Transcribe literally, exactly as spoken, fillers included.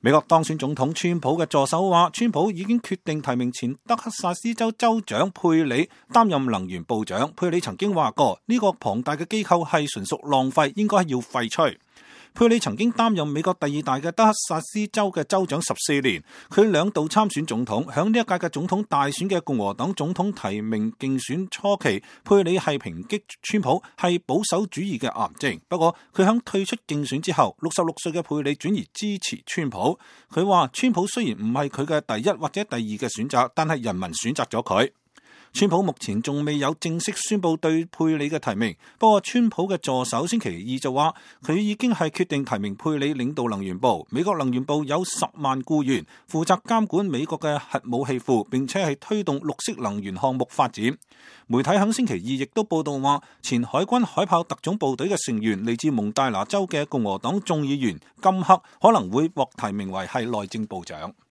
美國當選總統川普嘅助手話，川普已經決定提名前德克薩斯州州長佩里擔任能源部長。佩里曾經話過，呢個龐大嘅機構係純屬浪費，應該要廢除。佩里曾經擔任美國第二大嘅德克薩斯州嘅州長十四年，佢兩度參選總統。響呢一屆嘅總統大選嘅共和黨總統提名競選初期，佩里係抨擊川普係保守主義嘅癌症。不過佢響退出競選之後，六十六歲嘅佩里轉而支持川普。佢話川普雖然唔係佢嘅第一或者第二嘅選擇，但係人民選擇咗佢。川普目前仲未有正式宣布對佩里嘅提名，不過川普嘅助手星期二就話佢已經係決定提名佩里領導能源部。美國能源部有十萬僱員，負責監管美國嘅核武器庫，並且係推動綠色能源項目發展。媒體喺星期二亦都報道話，前海軍海豹特種部隊嘅成員嚟自蒙大拿州嘅共和黨眾議員金克可能會獲提名為係內政部長。